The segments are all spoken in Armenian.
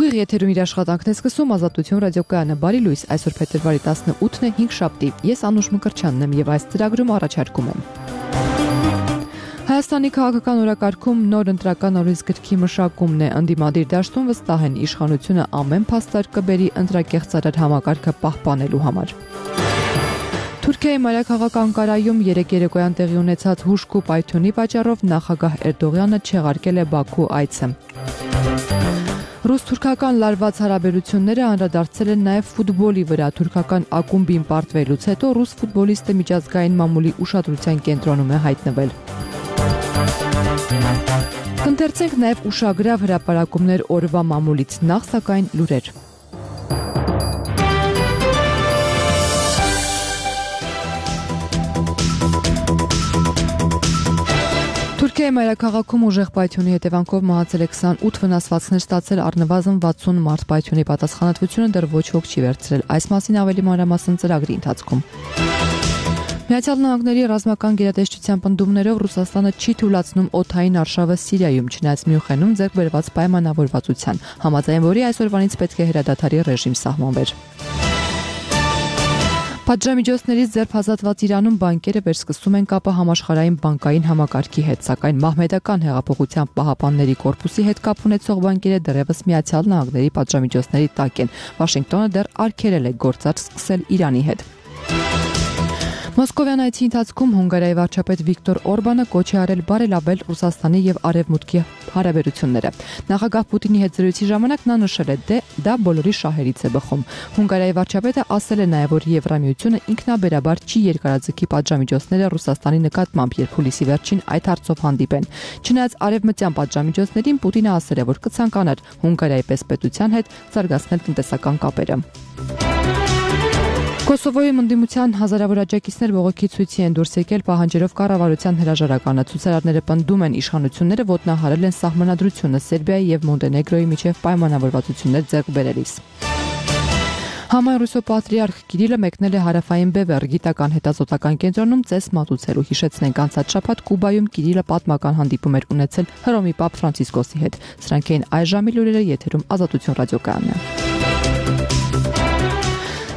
Ուղիղ եթերում իր աշխատանքն է սկսում Ազատություն ռադիոկայանը։ Բարի լույս, այսօր փետրվարի 18-ն է, 5-շաբթի։ Ես Անուշ Մկրտչյանն եմ եւ այս ծրագրում առաջարկում եմ Հայաստանի քաղաքական օրակարգում նոր ընտրական օրենսգրքի մշակումն է։ Ընդդիմադիր դաշտում վստահ են իշխանությունը ամեն փաստարկ կբերի ընտրակեղծարար համակարգը պահպանելու համար։ Թուրքիայի մայրաքաղաք Անկարայում երեկ երեկոյան տեղի ունեցած հուժկ ու պայթյունի պատճառով նախագահ Էրդողյանը չեղարկել է Բաքու այցը։ Ռուս-թուրքական լարված հարաբերությունները անդրադարձել են նաև ֆուտբոլի վրա։ Թուրքական ակումբին պարտվելուց հետո ռուս ֆուտբոլիստը միջազգային մամուլի ուշադրության կենտրոնում է հայտնվել։ Կընթերցենք նաև ուշագրավ հրապարակումներ օրվա մամուլից, նախ սակայն լուրեր։ Թուրքիայի մայրաքաղաքում ուժեղ պայթյունի հետևանքով մահացել է 28, վնասվածքներ ստացել առնվազն 60 մարդ։ Պայթյունի պատասխանատվությունը դեռ ոչ ոք չի վերցրել։ Այս մասին ավելի մանրամասն ծրագրի ընթացքում։ Միացյալ Նահանգների ռազմական գերատեսչության պնդումներով Ռուսաստանը չի թույլատրում օդային արշավը Սիրիայում, չնայած Մյունխենում ձեռք բերված պայմանավորվածության, համաձայն որի այսօրվանից պետք է հրադադարի ռեժիմ սահմանվեր։ Պատժամիջոցներից ձերբազատված Իրանում բանկերը վերսկսում են կապը համաշխարհային բանկային համակարգի հետ, սակայն մահմեդական հեղափոխության պահապանների կորպուսի հետ կապ ունեցող բանկերը դեռևս Միացյալ Նահանգների պատժամիջոցների տակ են։ Վաշինգտոնը դեռ արգելել է գործարք սկսել Իրանի հետ։ Մոսկովյան այցի ընթացքում Հունգարիայի վարչապետ Վիկտոր Օրբանը կոչ է արել բարելավել Ռուսաստանի եւ Արևմուտքի հարաբերությունները։ Նախագահ Պուտինի հետ զրույցի ժամանակ նա նշել է, դա բոլորի շահերից է բխում։ Հունգարիայի վարչապետը ասել է նաեւ, որ Եվրամիությունը ինքնաբերաբար չի երկարաձգի պատժամիջոցները Ռուսաստանի նկատմամբ, երբ հուլիսի վերջին այդ հարցով հանդիպեն։ Չնայած արևմտյան պատժամիջոցներին Պուտինը ասել է, որ կցանկանար Հունգարիայի պես պետության հետ զարգացնել տնտեսական կապերը։ Կոսովոյում ընդդիմության հազարավոր աջակիցներ բողոքի ցույցի են դուրս եկել պահանջելով կառավարության հրաժարականը։ Ցուցարարները պնդում են իշխանությունները ոտնահարել են սահմանադրությունը Սերբիայի եւ Մոնտենեգրոյի միջև պայմանավորվածություններ ձեռք բերելիս։ Համայն Ռուսո պատրիարխ Կիրիլը մեկնել է հարավային Բևեռ գիտական հետազոտական կենտրոնում ծես մատուցելու։ Հիշեցնենք, անցած շաբաթ Կուբայում Կիրիլը պատմական հանդիպում էր ունեցել Հռոմի Պապ Ֆրանցիսկոսի հետ։ Սրանք էին այս ժամի լուրերը, եթերում Ազատություն ռադիոկայանն է։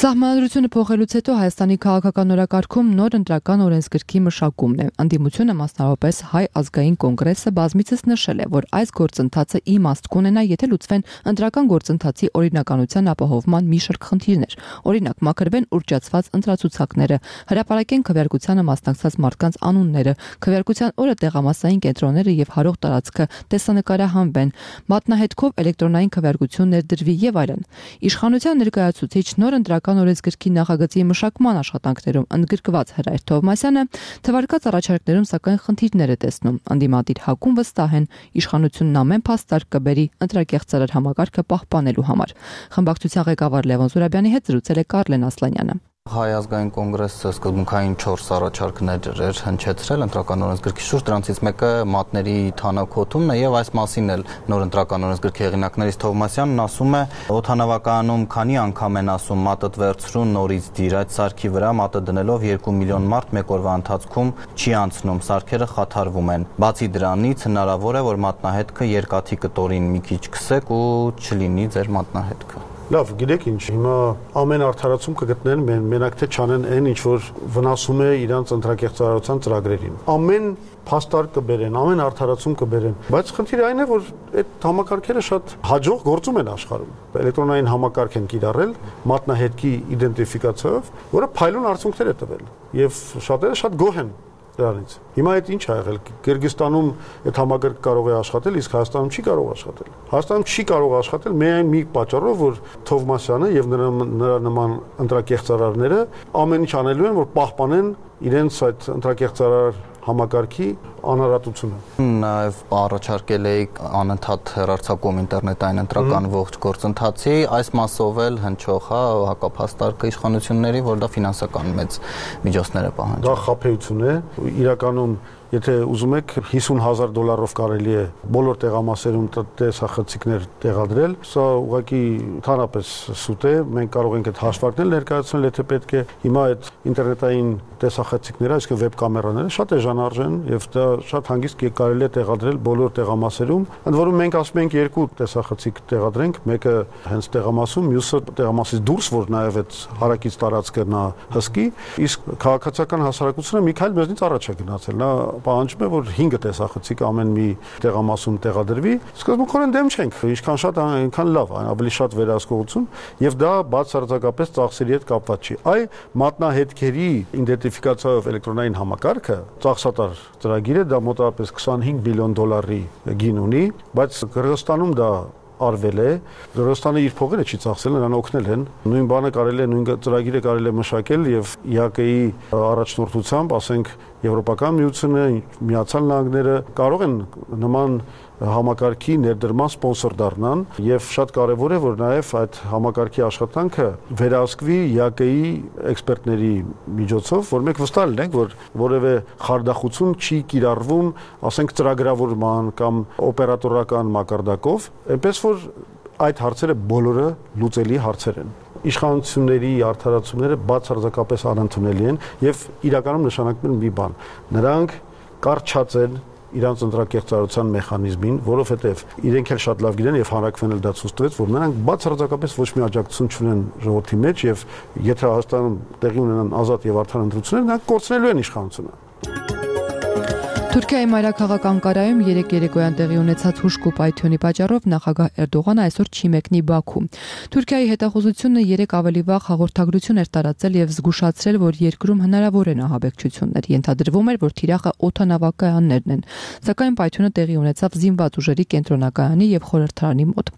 Սահմանադրությունը փոխելուց հետո Հայաստանի քաղաքական օրակարգում նոր ընտրական օրենսգրքի մշակումն է։ Ընդդիմությունը, մասնավորապես Հայ ազգային կոնգրեսը, բազմիցս նշել է, որ այս գործընթացը իմաստ կունենա, եթե լուծվեն ընտրական գործընթացի օրինականության ապահովման մի շարք խնդիրներ։ Օրինակ, մաքրվեն ուռճացված ընտրացուցակները, հրապարակեն քվեարկությանը մասնակցած մարդկանց անունները, քվեարկության օրը տեղամասային կենտրոնները եւ հարող տարածքը տեսանկարահանվեն, մատնահետքով էլեկտրոնային քվեարկություն ներդրվի եւ այլն։ Իշխանության ներկայացուցիչ նոր ընտրական օրենսգրքի նախագծի մշակման աշխատանքներում ընդգրկված Հրայր Թովմասյանը թվարկած առաջարկներում սակայն խնդիրներ է տեսնում։ Ընդդիմադիր ՀԱԿ-ում վստահ են իշխանությունն ամեն փաստարկ կբերի ընտրակեղծարար համակարգը պահպանելու համար։ Խմբակցության ղեկավար Լևոն Զուրաբյանի հետ զրուցել է Կարլեն Ասլանյանը։ Հայ ազգային կոնգրեսը սկզբունքային 4 առաջարկներ էր հնչեցրել ընտրական օրենսգրքի շուրջ, դրանցից մեկը մատների թանաքոթումն է եւ այս մասին էլ նոր ընտրական օրենսգրքի հեղինակներից Թովմասյանն ասում է, օդանավակայանում քանի անգամ են ասում մատդ վերցրու նորից դիր, այդ սարքի վրա մատը դնելով 2 միլիոն մարդ մեկ օրվա ընթացքում չի անցնում, սարքերը խաթարվում են։ Բացի դրանից հնարավոր է, որ մատնահետքը երկաթի կտորին մի քիչ քսեք ու չլինի ձեր մատնահետքը։ Լավ, գիտեք ինչ, հիմա ամեն արդարացում կգտնեն մենակ թե չանեն այն, ինչ որ վնասում է իրանց ընտրակեղծարարության ծրագրերին։ Ամեն փաստարկ կբերեն, ամեն արդարացում կբերեն, բայց խնդիրը այն է, որ այդ համակարգերը շատ հաջող գործում են աշխարհում։ Էլեկտրոնային համակարգ են կիրառել մատնահետքի իդենտիֆիկացիայով, որը փայլուն արդյունքներ է տվել, եւ շատերը շատ գոհ են դրանից։ Հիմա այդ ինչ ա եղել։ Կիրգիզստանում այդ համակարգը կարող է աշխատել, իսկ Հայաստանում չի կարող աշխատել։ Հայաստանում չի կարող աշխատել միայն մի պատճառով, որ Թովմասյանը եւ նրա նման ընտրակեղծարարները ամեն ինչ անելու են, որ պահպանեն իրենց այդ ընտրակեղծարար համակարգի անհրաժեշտությունը։ Նաև առաջարկել էի անընդհատ հեռարձակում ինտերնետային ընտրական ողջ գործընթացի, այս մասով էլ հնչող հակափաստարկը իշխանությունների, որ դա ֆինանսական մեծ միջոցներ է պահանջում։ Դա խաբեություն է, իրականում եթե ուզում եք $50,000 կարելի է բոլոր տեղամասերում տեսախցիկներ տեղադրել, սա ուղղակի ընդհանրապես սուտ է, մենք կարող ենք այդ հաշվարկներ ներկայացնել, եթե պետք է։ Հիմա այդ ինտերնետային տեսախցիկները, այսինքն վեբ կամերաները շատ էժանարժեն եւ դա շատ հանգիստ կարելի է տեղադրել բոլոր տեղամասերում։ Ընդ որում մենք ասում ենք երկու տեսախցիկ տեղադրենք, մեկը հենց տեղամասում, մյուսը տեղամասից դուրս, որ նաեւ այդ հարակից տարածքը նա հսկի, իսկ քաղաքացիական հասարակությունը մի քայլ մեզնից առաջ է գնացել։ Նա պահանջում է, որ 5 տեսախցիկ ամեն մի տեղամասում տեղադրվի։ Սկզբունքորեն դեմ չենք, ինչքան շատ այնքան լավ, ավելի շատ վերահսկողություն եւ դա բացարձակապես ծախսերի հետ կապված չի։ Այ մատնահետքերի իդենտիֆիկացիայով էլեկտրոնային համակարգը ծախսատար ծրագիր է, դա մոտավորապես $25 միլիոն գին ունի, բայց Կырգызստանում դա արվել է, Կырգызստանը իր փողերը չի ծախսել, նրան օգնել են։ Նույն բանը կարելի է, նույն ծրագիրը կարելի է մշակել եւ ՀԿ-ի առաջնորդությամբ, ասենք, Եվրոպական միությունը, Միացյալ Նահանգները կարող են նման համակարգի ներդրման սպոնսոր դառնան եւ շատ կարեւոր է, որ նաեւ այդ համակարգի աշխատանքը վերահսկվի ՀԿ-ի էքսպերտների միջոցով, որ մենք վստահ լինենք, որ որևէ խարդախություն չի կիրառվում, ասենք, ծրագրավորման կամ օպերատորական մակարդակով, այնպես որ այդ հարցերը բոլորը լուծելի հարցեր են։ Իշխանությունների արդարացումները բացարձակապես անընդունելի են եւ իրականում նշանակում են մի բան. նրանք կարճած են իրանց ընտրակեղծարարության մեխանիզմին, որովհետև իրենք էլ շատ լավ գիտեն եւ հանրակրվեն էլ դա ցույց տվեց, որ նրանք բացարձակապես ոչ մի աջակցություն չունեն ժողովրդի մեջ եւ եթե Հայաստանում տեղի ունենան ազատ եւ արդար ընտրություններ, նրանք կորցնելու են իշխանությունը։ Թուրքիայի մայրաքաղաք Անկարայում երեկ երեկոյան տեղի ունեցած հուժկ ու պայթյունի պատճառով նախագահ Էրդողանը այսօր չի մեկնի Բաքու։ Թուրքիայի հետախուզությունը երեկ ավելի վաղ հաղորդագրություն էր տարածել եւ զգուշացրել, որ երկրում հնարավոր են ահաբեկչություններ։ Ենթադրվում էր, որ թիրախը օդանավակայաններն են, սակայն պայթյունը տեղի ունեցավ զինված ուժերի կենտրոնակայանի եւ խորհրդարանի մոտ։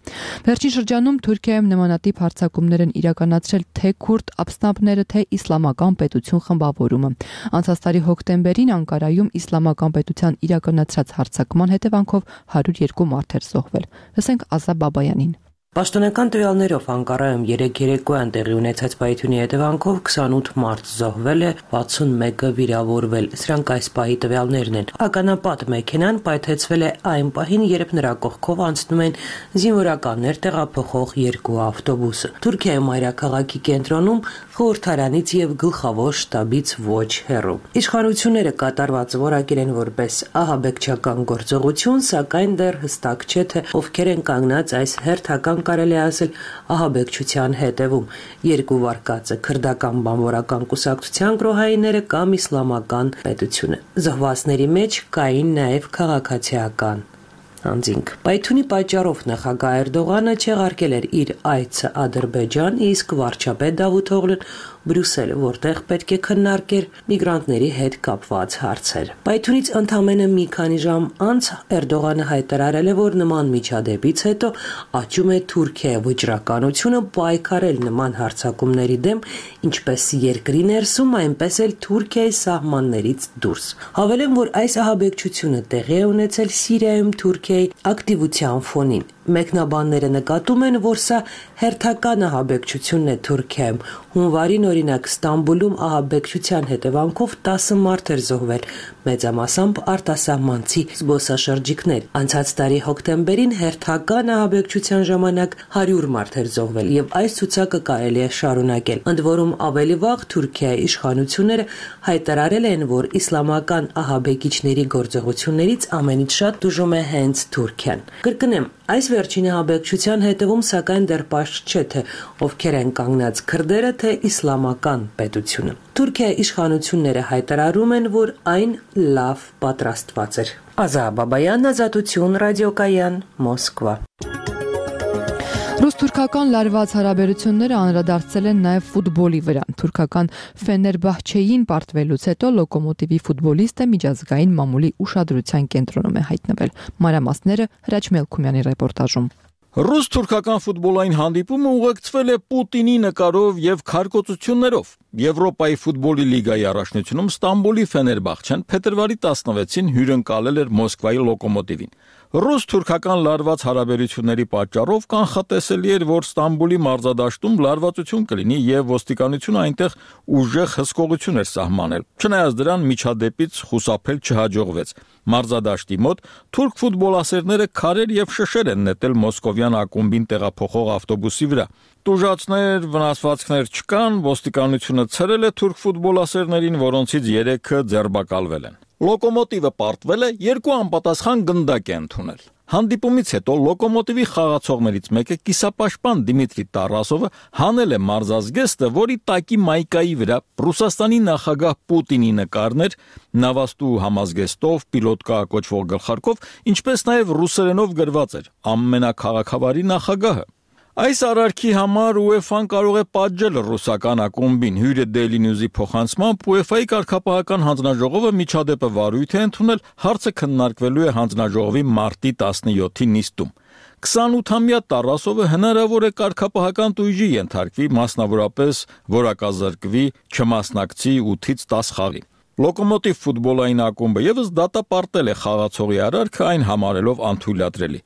Վերջին շրջանում Թուրքիայում նմանատիպ հարձակումներ են իրականացրել թե քուրդ ապստամբները, թե իսլամական պետություն խմբավորումը։ Անցած տարի հոկտեմբերին Անկարայում իսլամական պետության իրականացրած հարձակման հետևանքով 102 մարդ էր զոհվել։ Լսենք Ազա Բաբայանին։ Պաշտոնական տվյալներով Անկարայում երեկ երեկոյան տեղի ունեցած պայթյունի հետևանքով 28 մարդ զոհվել է, 61-ը վիրավորվել։ Սրանք այս պահի տվյալներն են։ Ականապատ մեքենան պայթեցվել է այն պահին, երբ նրա կողքով անցնում են զինվորականներ տեղափոխող երկու ավտոբուսը։ Թուրքիայի մայրաքաղաքի կենտրոնում խորհրդարանից եւ գլխավոր շտաբից ոչ հեռու։ Իշխանությունները կատարվածը որակել են որպես ահաբեկչական գործողություն, սակայն դեռ հստակ չէ, թե ովքեր են կանգնած այս հերթական կարելի ասել ահաբեկչության հետևում։ Երկու վարկածը քրդական բանվորական կուսակցության գրոհայինները կամ իսլամական պետությունը։ Զոհվածների մեջ կային նաև քաղաքացիական անձինք։ Պայթյունի պատճառով նախագահ Էրդողանը չեղարկել էր իր այցը Ադրբեջան, իսկ վարչապետ Դավութօղլուն Բրյուսել, որտեղ պետք է քննարկեր միգրանտների հետ կապված հարցեր։ Պայթյունից ընդամենը մի քանի ժամ անց Էրդողանը հայտարարել է, որ նման միջադեպից հետո աճում է Թուրքիայի վճռականությունը պայքարել նման հարձակումների դեմ, ինչպես երկրի ներսում, այնպես էլ Թուրքիայի սահմաններից դուրս։ Հավելեմ, որ այս ահաբեկչությունը տեղի է ունեցել Սիրիայում Թուրքիայի ակտիվության ֆոնին։ Մեկնաբանները նկատում են, որ սա հերթական ահաբեկչությունն է Թուրքիայում։ Հունվարին օրինակ Ստամբուլում ահաբեկչության հետևանքով 10 մարդ էր զոհվել, մեծամասամբ արտասահմանցի զբոսաշրջիկներ։ Անցած տարի հոկտեմբերին հերթական ահաբեկչության ժամանակ 100 մարդ էր զոհվել եւ այս ցուցակը կարելի է շարունակել։ Ընդ որում ավելի վաղ Թուրքիայի իշխանությունները հայտարարել են, որ իսլամական ահաբեկիչների գործողություններից ամենից շատ դժում է հենց Թուրքիան։ Կրկնեմ, այս վերջին ահաբեկչության հետևում սակայն դեռ պարզ չէ, թե ովքեր են կանգնած քրդերը, թե իսլամական պետությունը։ Թուրքիայի իշխանությունները հայտարարում են, որ այն լավ պատրաստված էր։ Ազա Բաբայան, Ազատություն, ռադիոկայան, Մոսկվա։ Ռուս-թուրքական լարված հարաբերությունները անդրադարձել են նաև ֆուտբոլի վրա։ Թուրքական Ֆեներբահչեին պարտվելուց հետո Լոկոմոտիվի ֆուտբոլիստը միջազգային մամուլի ուշադրության կենտրոնում է հայտնվել։ Մանրամասները Հրաչ Մելքումյանի ռեպորտաժում։ Ռուս-թուրքական ֆուտբոլային հանդիպումը ուղեկցվել է Պուտինի նկարով եւ քարկոծություններով։ Եվրոպայի ֆուտբոլի լիգայի առաջնությունում Ստամբուլի Ֆեներբահչեն փետրվարի 16-ին հյուրընկալել էր Մոսկվայի Լոկոմոտիվին։ Ռուս-թուրքական լարված հարաբերությունների պատճառով կանխատեսելի էր, որ Ստամբուլի մարզադաշտում լարվածություն կլինի եւ ոստիկանությունը այնտեղ ուժեղ հսկողություն էր սահմանել։ Չնայած դրան միջադեպից խուսափել չհաջողվեց։ Մարզադաշտի մոտ թուրք ֆուտբոլասերները քարեր եւ շշեր են նետել մոսկովյան ակումբին տեղափոխող ավտոբուսի վրա։ Տուժածներ, վնասվածքներ չկան, ոստիկանությունը ցրել է թուրք ֆուտբոլասերներին, որոնցից 3-ը ձերբակալվել են։ Լոկոմոտիվը պարտվել է 2 անպատասխան գնդակ է ընդունել։ Հանդիպումից հետո Լոկոմոտիվի խաղացողներից մեկը կիսապաշտպան Դիմիտրի Տարասովը հանել է մարզազգեստը, որի տակի մայկայի վրա Ռուսաստանի նախագահ Պուտինի նկարներ, նավաստու համազգեստով, պիլոտկա կոչվող գլխարկով, ինչպես նաև ռուսերենով գրված էր «Ամենակաղաքավարի նախագահը»։ Այս արարքի համար UEFA-ն կարող է պատժել ռուսական ակումբին։ Հյուրը Daily News-ի փոխանցմամբ UEFA-ի կարգապահական հանձնաժողովը միջադեպը վարույթ է ընդունել, հարցը քննարկվելու է հանձնաժողովի մարտի 17-ի նիստում։ 28-ամյա Տարասովը հնարավոր է կարգապահական տույժի ենթարկվի, մասնավորապես որակազրկվի, չմասնակցի 8-ից 10 խաղի։ Լոկոմոտիվ ֆուտբոլային ակումբը եւս դատապարտել է խաղացողի արարքը, այն համարելով անթույլատրելի։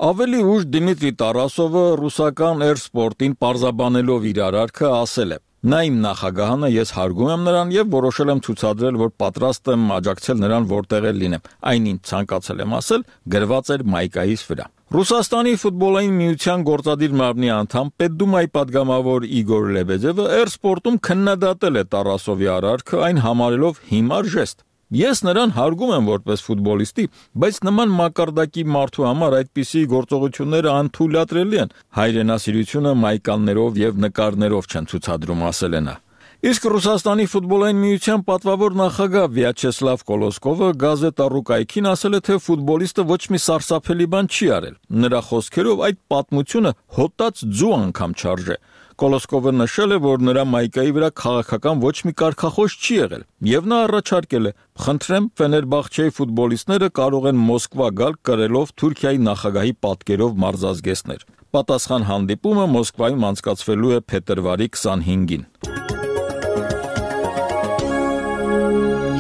Ավելի ուշ Դիմիտրի Տարասովը ռուսական Էրսպորտին պարզաբանելով իր արարքը ասել է. «Նա իմ նախագահն է, ես հարգում եմ նրան եւ որոշել եմ ցուցադրել, որ պատրաստ եմ աջակցել նրան որտեղ էլ լինեմ։ Այն ինչ ցանկացել եմ ասել, գրված էր մայկայիս վրա»։ Ռուսաստանի ֆուտբոլային միության գործադիր մարմնի անդամ Պետդումայի падգամավոր Իգոր Լեբեդևը Էրսպորտում քննադատել է Տարասովի արարքը, այն համարելով հիմար ժեստ։ Ես նրան հարգում եմ որպես ֆուտբոլիստի, բայց նման մակարդակի մարդու համար այդպիսի գործողությունները անթույլատրելի են։ Հայրենասիրությունը մայկաններով եւ նկարներով չեն ցուցադրում, ասել է նա։ Իսկ Ռուսաստանի ֆուտբոլային միության պատվավոր նախագահ Վյաչեսլավ Կոլոսկովը գազետա Ռուկայքին ասել է, թե ֆուտբոլիստը ոչ մի սարսափելի բան չի արել։ Նրա խոսքերով այդ պատմությունը հոտած ձու անգամ չարժե։ Կոլոսկովը նշել է, որ նրա մայկայի վրա քաղաքական ոչ մի կարգախոս չի եղել, եւ նա առաջարկել է. «Խնդրեմ, Ֆեներբախչեի ֆուտբոլիստները կարող են Մոսկվա գալ կրելով Թուրքիայի նախագահի պատկերով մարզազգեստներ»։ Պատասխան հանդիպումը Մոսկվայում անցկացվելու է փետրվարի 25-ին։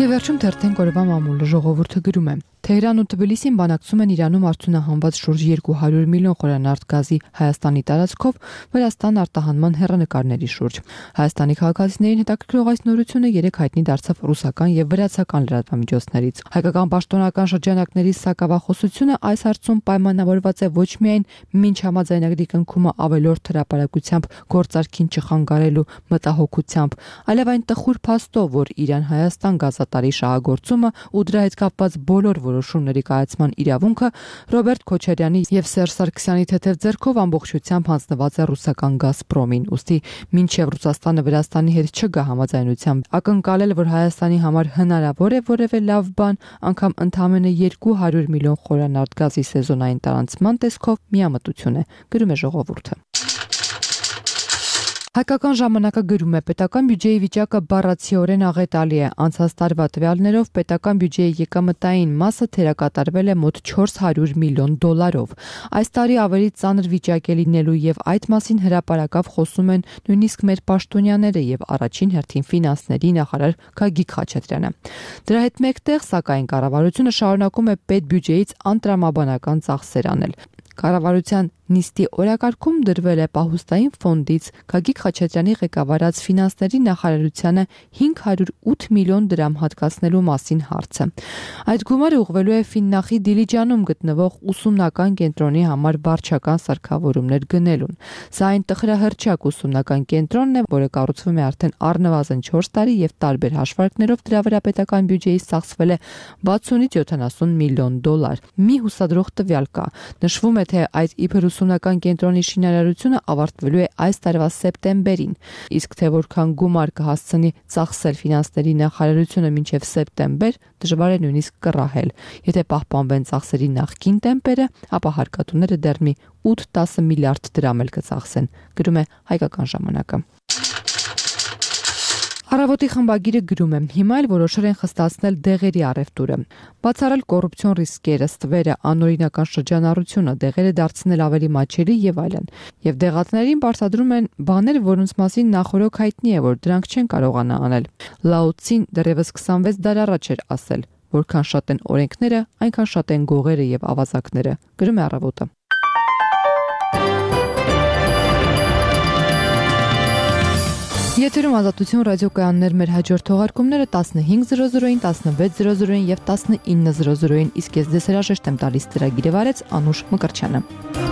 Եվ վերջում թերթենք օրվա մամուլը ժողովուրդը գրում է. Թեհրան ու Թբիլիսին բանակցում են Իրանում արդյունահանված շուրջ 200 միլիոն խորանարդ գազի Հայաստանի տարածքով Վրաստան արտահանման հեռանկարների շուրջ։ Հայաստանի քաղաքացիներին հետաքրքրող այս նորությունը երեկ հայտնի դարձավ ռուսական եւ վրացական լրատվամիջոցներից։ Հայկական պաշտոնական շրջանակների սակավախոսությունը այս հարցում պայմանավորված է ոչ միայն մինչ համաձայնագրի կնքումը ավելորդ հրապարակությամբ գործարքին չխանգարելու մտահոգությամբ, այլև այն տխուր փաստով, որ Իրան-Հայաստան գազատարի շահագործումը ու դրա հետ կապված բոլոր որոշումների կայացման իրավունքը Ռոբերտ Քոչարյանի եւ Սերժ Սարգսյանի թեթև ձեռքով ամբողջությամբ հանձնված է ռուսական Գազպրոմին։ Ուստի մինչեւ Ռուսաստանը Վրաստանի հետ չգա համաձայնության, ակնկալել, որ Հայաստանի համար հնարավոր է որևէ լավ բան, անգամ ընդամենը 200 միլիոն խորանարդ գազի սեզոնային տարանցման տեսքով միամտություն է, գրում է ժողովուրդը։ Հայկական ժամանակը գրում է. պետական բյուջեի վիճակը բառացիորեն աղետալի է։ Անցած տարվա տվյալներով պետական բյուջեի եկամտային մասը թերակատարվել է մոտ 400 միլիոն դոլարով։ Այս տարի ավելի ծանր վիճակ է լինելու եւ այդ մասին հրապարակավ խոսում են նույնիսկ մեր պաշտոնյաները եւ առաջին հերթին ֆինանսների նախարար Գագիկ Խաչատրյանը։ Դրա հետ մեկտեղ, սակայն, կառավարությունը շարունակում է պետբյուջեից անտրամաբանական ծախսեր անել։ Կառավարության նիստի օրակարգում դրվել է պահուստային ֆոնդից Գագիկ Խաչատրյանի ղեկավարած ֆինանսների նախարարությանը 508 միլիոն դրամ հատկացնելու մասին հարցը։ Այդ գումարը ուղղվելու է Ֆիննախի Դիլիջանում գտնվող ուսումնական կենտրոնի համար վարչական սարքավորումներ գնելուն։ Սա այն տխրահռչակ ուսումնական կենտրոնն է, որը կառուցվում է արդեն առնվազն 4 տարի եւ տարբեր հաշվարկներով դրա վրա պետական բյուջեից ծախսվել է 60-ից 70 միլիոն դոլար։ Մի հուսադրող տվյալ կա։ Նշվում է, թե այդ իբր ուսումնական կենտրոնի շինարարությունը ավարտվելու է այս տարվա սեպտեմբերին, իսկ թե որքան գումար կհասցնի ծախսել ֆինանսների նախարարությունը մինչև սեպտեմբեր, դժվար է նույնիսկ կռահել։ Եթե պահպանվեն ծախսերի նախկին տեմպերը, ապա հարկատուները դեռ մի 8-10 միլիարդ դրամ էլ կծախսեն, գրում է Հայկական ժամանակը։ Առավոտի խմբագիրը գրում է. հիմա էլ որոշել են խստացնել դեղերի առևտուրը։ Բացառել կոռուպցիոն ռիսկերը, ստվերը, անօրինական շրջանառությունը, դեղերը դարձնել ավելի մատչելի եւ այլն։ Եվ դեղատներին բացատրում են բաներ, որոնց մասին նախորոք հայտնի է, որ դրանք չեն կարողանա անել։ Լաոցին դեռևս 26 դար առաջ էր ասել. որքան շատ են օրենքները, այնքան շատ են գողերը եւ ավազակները, գրում է Առավոտը։ Եթերում Ազատություն ռադիոկայաններ, մեր հաջորդ թողարկումները 15:00-ին, 16:00-ին եւ 19:00-ին, իսկ ես ձեզ հրաժեշտ եմ տալիս ծրագիրը վարեց Անուշ Մկրտչյանը։